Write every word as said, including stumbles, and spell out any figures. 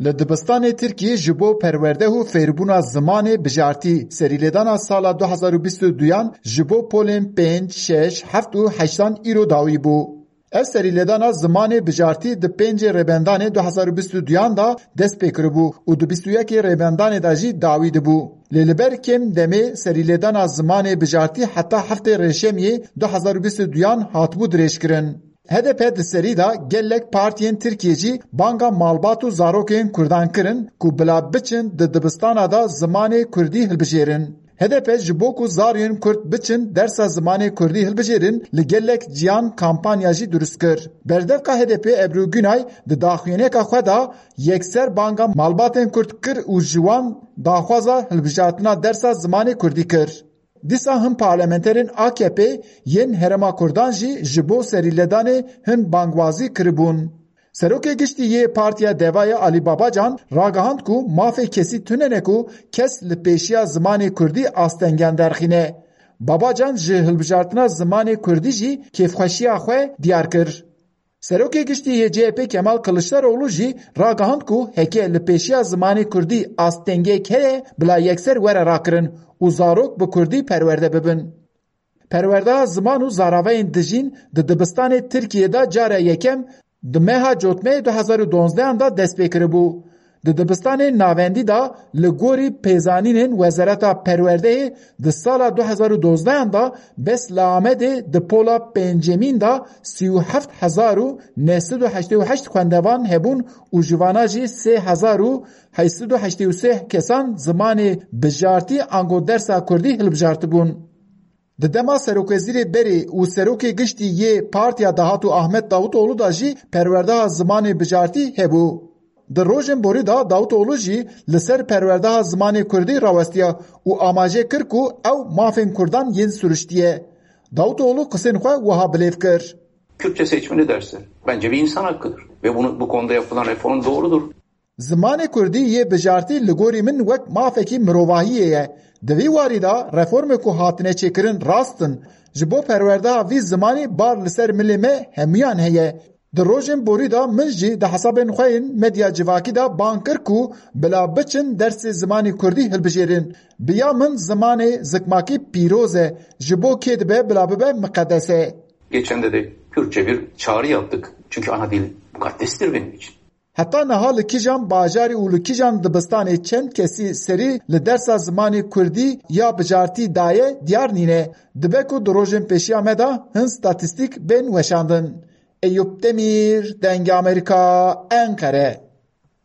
Li dibistanê Tirkiyê ji bo perwerde û fêrbûna zimanê bijartî serîlêdana sala du hezar û bîst û duyan ji bo polên pênc, şeş, heft û heştan îro dawî bû. Ev serîlêdana zimanê bijartî di pêncê Rêbendanê du hezar û bîst û duyan de dest pê kiribû û di bîst û yekê Rêbendanê de jî dawî dibû. Lê li ber kêm demê serîlêdana zimanê bijartî heta heftê Rêşemiyê du hezar û bîst û duyan hatibû dirêjkirin. H D P di serî de gelek partiyên Tirkiyê jî banga malbat û zarokên Kurdan kirin ku bila biçin di dibistana de zimanê Kurdî hilbijêrin. H D P ji bo ku zariyên Kurd biçin dersa zimanê Kurdî hilbijêrin, li gelek ciyan kampanya jî dirust kir. Berdevka H D P Ebru Günay di daxuyaniyeka xwe de yekser banga malbatên Kurd kir û ji wan daxwaza hilbijartina dersa zimanê Kurdî kir. Dîsa hin parlamenterên A K P yên Herêma Kurdan jî ji bo serîledanê hin bangwazî kiribûn. Serokê Giştî yê Partiya Devayê Alî Babacan ragihand ku mafê kesî tune ne ku kes li pêşiya zimanê Kurdî astengiyan derxîne. Babacan ji hilbijartina zimanê Kurdî jî kêfxweşiya xwe diyar kir. Serokê Giştî yê C H P Kemal Kiliçdaroglu jî ragihand ku heke li pêşiya zimanê Kurdî astengiyek heye, bila yekser were rakirin û zarok bi Kurdî perwerde bibin. Perwerdeha ziman û zaravayên dijîn di dibistanê Tirkiyê de cara yekem di meha Cotmeyê du hezar û donzdehan de dest pê kiribû. Di dibistanên navendî de li gorî pêzanînên Wezareta Perwerdeyê di sala du hezar û dozdehan de bes li Amedê di pola pêncemîn de sî û heft hezar û neh sed û heştê û heşt xwendevan hebûn û ji vana jî sê hezar û heşt sed û heştê û sê kesan zimanê bijartî ango dersa Kurdî hilbijartibûn. Di dema serokwezîrê berê û serokê giştî yê Partiya Dahatû Ahmet Davutoğlu de jî perwerdeha zimanê bijartî hebû. Di rojên borî de Davutoğlu jî li ser perwerdeha zimanê Kurdî rawestiya û amaje kir ku ew mafên Kurdan yên siruştiye. Davutoğlu qisên xwe wiha bilêv kir. Kürtçe seçmeli dersler bence bir insan hakkıdır ve bunu, bu konuda yapılan reform doğrudur. Zimanê Kurdî yê bijartî li gorî min wek mafekî mirovahiyê ye. Di vî warî de reformê ku hatine çêkirin rast in. Ji bo perwerdeha vî zimanî bar li ser milê me hemûyan heye. Di rojên borî de min jî di hesabên xwe yên medya civakî de bang kir ku bila biçin dersê zimanê Kurdî hilbijêrin. Bi ya min zimanê zikmakî pîroz e. Ji bo kê dibe bila bibe miqedes e. Geçende de Kürtçe bir çağrı yaptık. Çünkü ana dil mukaddestir benim için. Heta niha li kîjan bajarî û li kîjan dibistanê çend kesî serî li dersa zimanê kurdî ya bijartî daye diyar nîne. Dibe ku di rojên pêşiya me de hin statîstîk bên weşandin. Eyûp Demîr, Dengê Amerîka, Enqere.